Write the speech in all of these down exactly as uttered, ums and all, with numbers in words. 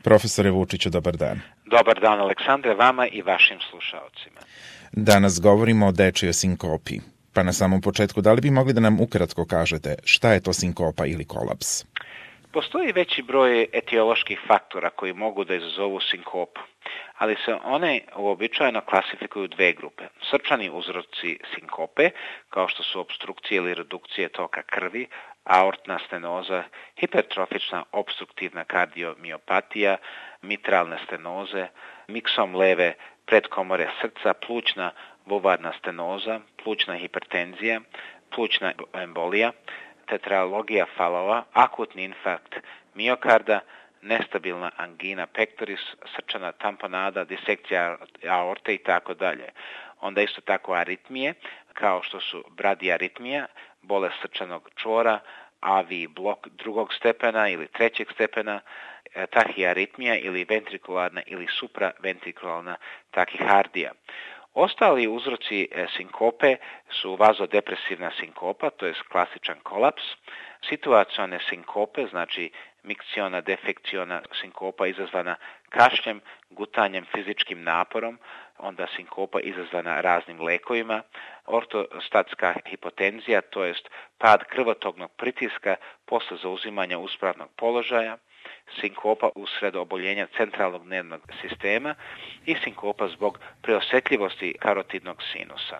Profesore Vučiću, dobar dan. Dobar dan, Aleksandre, vama i vašim slušaocima. Danas govorimo o dečijoj sinkopi. Pa na samom početku, da li bi mogli da nam ukratko kažete šta je to sinkopa ili kolaps? Postoji veći broj etioloških faktora koji mogu da izazovu sinkopu, ali se one uobičajeno klasifikuju u dve grupe. Srčani uzroci sinkope, kao što su opstrukcije ili redukcije toka krvi, aortna stenoza, hipertrofična obstruktivna kardiomiopatija, mitralne stenoze, miksom leve predkomore srca, plućna vulvarna stenoza, plućna hipertenzija, plućna embolija, tetralogija falova, akutni infarkt miokarda, nestabilna angina pectoris, srčana tamponada, disekcija aorte i tako dalje. Onda isto tako aritmije, kao što su bradiaritmija, bolest srčanog čvora, A V blok drugog stepena ili trećeg stepena, tahiaritmija ili ventrikularna ili supraventrikularna tahikardija. Ostali uzroci sinkope su vazodepresivna sinkopa, to je klasičan kolaps, situacione sinkope, znači mikciona defekciona sinkopa izazvana kašljem, gutanjem, fizičkim naporom, onda sinkopa izazvana raznim lekovima, ortostatska hipotenzija, to jest pad krvotoknog pritiska posle zauzimanja uspravnog položaja, sinkopa usred oboljenja centralnog nervnog sistema i sinkopa zbog preosetljivosti karotidnog sinusa.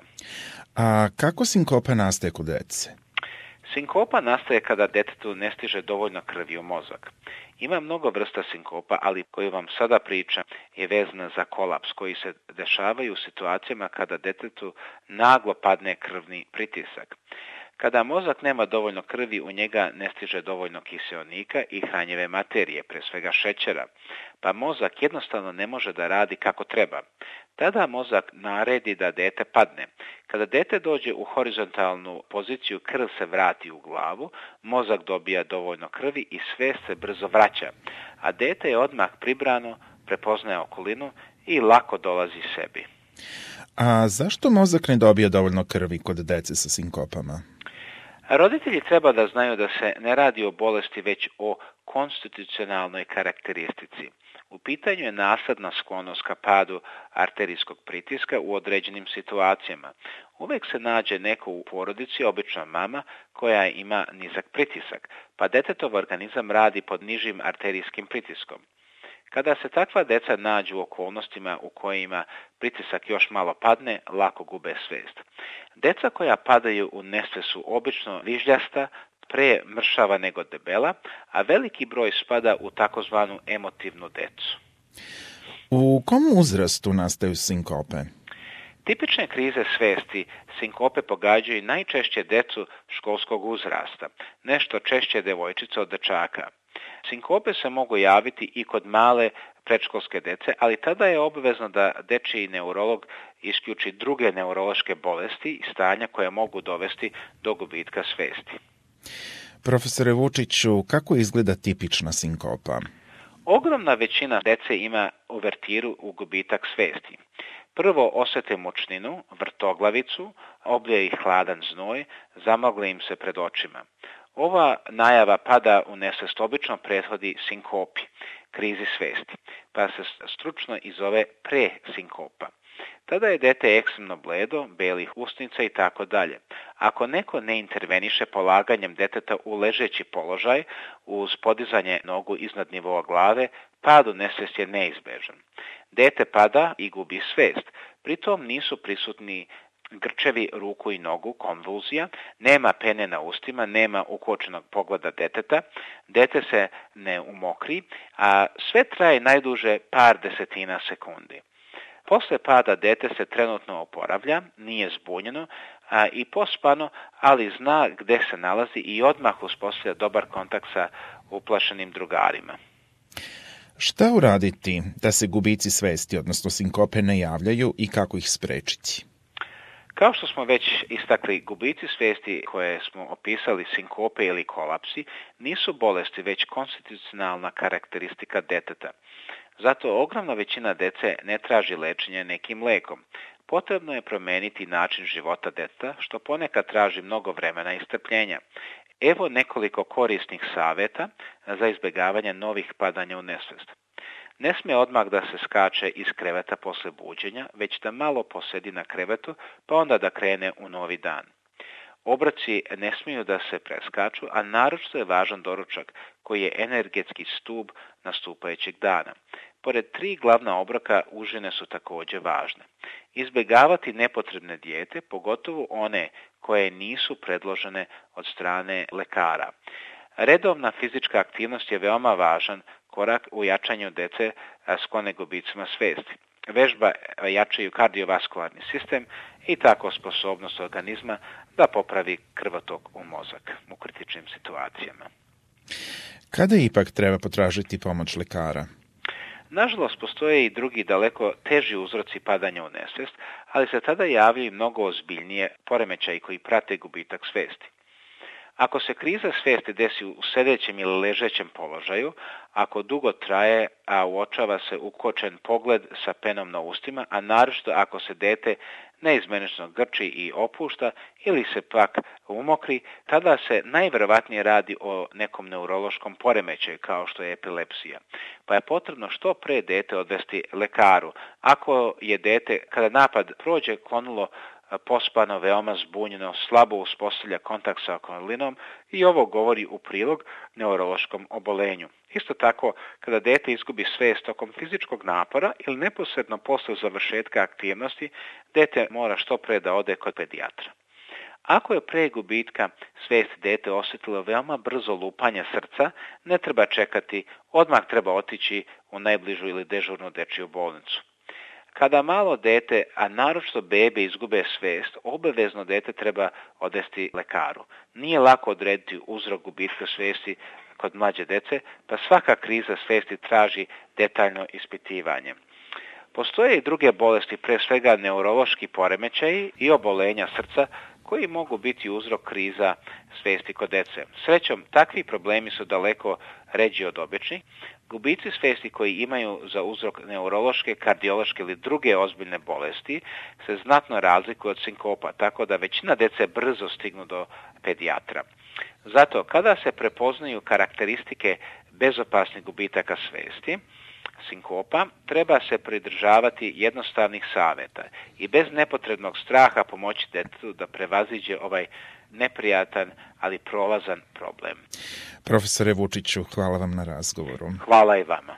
A kako sinkopa nastaje kod dece? Sinkopa nastaje kada detetu ne stiže dovoljno krvi u mozak. Ima mnogo vrsta sinkopa, ali koju vam sada pričam je vezana za kolaps koji se dešavaju u situacijama kada detetu naglo padne krvni pritisak. Kada mozak nema dovoljno krvi, u njega ne stiže dovoljno kiseonika i hranjive materije, pre svega šećera, pa mozak jednostavno ne može da radi kako treba. Tada mozak naredi da dete padne. Kada dete dođe u horizontalnu poziciju, krv se vrati u glavu, mozak dobija dovoljno krvi i svest se brzo vraća, a dete je odmah pribrano, prepoznaje okolinu i lako dolazi sebi. A zašto mozak ne dobija dovoljno krvi kod dece sa sinkopama? Roditelji treba da znaju da se ne radi o bolesti, već o konstitucionalnoj karakteristici. U pitanju je nasadna sklonost ka padu arterijskog pritiska u određenim situacijama. Uvek se nađe neko u porodici, obično mama, koja ima nizak pritisak, pa detetov organizam radi pod nižim arterijskim pritiskom. Kada se takva deca nađu u okolnostima u kojima pritisak još malo padne, lako gube svest. Deca koja padaju u nesvest su obično vižljasta, pre mršava nego debela, a veliki broj spada u takozvanu emotivnu decu. U kom uzrastu nastaju sinkope? Tipične krize svesti sinkope pogađaju najčešće decu školskog uzrasta, nešto češće devojčice od dečaka. Sinkope se mogu javiti i kod male predškolske dece, ali tada je obavezno da dečiji neurolog isključi druge neurološke bolesti i stanja koje mogu dovesti do gubitka svesti. Profesore Vučiću, kako izgleda tipična sinkopa? Ogromna većina dece ima uvertiru u gubitak svesti. Prvo osete mučninu, vrtoglavicu, oblije ih hladan znoj, zamagle im se pred očima. Ova najava pada u nesvest obično prethodi sinkopi, krizi svesti, pa se stručno i zove presinkopa. Tada je dete ekstremno bledo, belih usnica i tako dalje. Ako neko ne interveniše polaganjem deteta u ležeći položaj uz podizanje nogu iznad nivoa glave, pad u nesvest je neizbežan. Dete pada i gubi svest, pritom nisu prisutni grčevi ruku i nogu, konvulzija, nema pene na ustima, nema ukočenog pogleda deteta, dete se ne umokri, a sve traje najduže par desetina sekundi. Posle pada dete se trenutno oporavlja, nije zbunjeno a, i pospano, ali zna gde se nalazi i odmah uspostavlja dobar kontakt sa uplašenim drugarima. Šta uraditi da se gubici svesti, odnosno sinkope, ne javljaju i kako ih sprečiti? Kao što smo već istakli, gubici svesti koje smo opisali, sinkope ili kolapsi, nisu bolesti, već konstitucionalna karakteristika deteta. Zato ogromna većina dece ne traži lečenje nekim lekom. Potrebno je promeniti način života deteta, što ponekad traži mnogo vremena i strpljenja. Evo nekoliko korisnih saveta za izbjegavanje novih padanja u nesvest. Ne smije odmah da se skače iz kreveta posle buđenja, već da malo posedi na krevetu, pa onda da krene u novi dan. Obroci ne smiju da se preskaču, a naročito je važan doručak, koji je energetski stub nastupajućeg dana. Pored tri glavna obroka, užine su također važne. Izbjegavati nepotrebne dijete, pogotovo one koje nisu predložene od strane lekara. Redovna fizička aktivnost je veoma važan korak u jačanju dece sklone gubicima svesti. Vežba jačaju kardiovaskularni sistem i tako sposobnost organizma da popravi krvotok u mozak u kritičnim situacijama. Kada ipak treba potražiti pomoć lekara? Nažalost, postoje i drugi daleko teži uzroci padanja u nesvijest, ali se tada javljaju mnogo ozbiljnije poremećaji koji prate gubitak svijesti. Ako se kriza svijesti desi u sedećem ili ležećem položaju, ako dugo traje, a uočava se ukočen pogled sa penom na ustima, a naročito ako se dete neizmenično grči i opušta ili se pak umokri, tada se najvjerovatnije radi o nekom neurološkom poremećaju kao što je epilepsija. Pa je potrebno što pre dete odvesti lekaru. Ako je dete, kada napad prođe, klonulo pospano, veoma zbunjeno, slabo uspostavlja kontakt sa okolinom i ovo govori u prilog neurološkom obolenju. Isto tako, kada dete izgubi svijest tokom fizičkog napora ili neposredno posle završetka aktivnosti, dete mora što pre da ode kod pedijatra. Ako je pre gubitka svijesti dete osjetilo veoma brzo lupanje srca, ne treba čekati, odmah treba otići u najbližu ili dežurnu dečiju bolnicu. Kada malo dete, a naročito bebe, izgube svijest, obavezno dete treba odvesti lekaru. Nije lako odrediti uzrok gubitka svijesti kod mlađe dece, pa svaka kriza svijesti traži detaljno ispitivanje. Postoje i druge bolesti, pre svega neurološki poremećaji i obolenja srca, koji mogu biti uzrok kriza svijesti kod dece. Srećom, takvi problemi su daleko ređi od običnih. Gubici svijesti koji imaju za uzrok neurološke, kardiološke ili druge ozbiljne bolesti se znatno razlikuju od sinkopa, tako da većina dece brzo stignu do pedijatra. Zato, kada se prepoznaju karakteristike bezopasnih gubitaka svijesti, sinkopa, treba se pridržavati jednostavnih savjeta i bez nepotrebnog straha pomoći detetu da prevaziđe ovaj neprijatan, ali prolazan problem. Profesore Vučiću, hvala vam na razgovoru. Hvala i vama.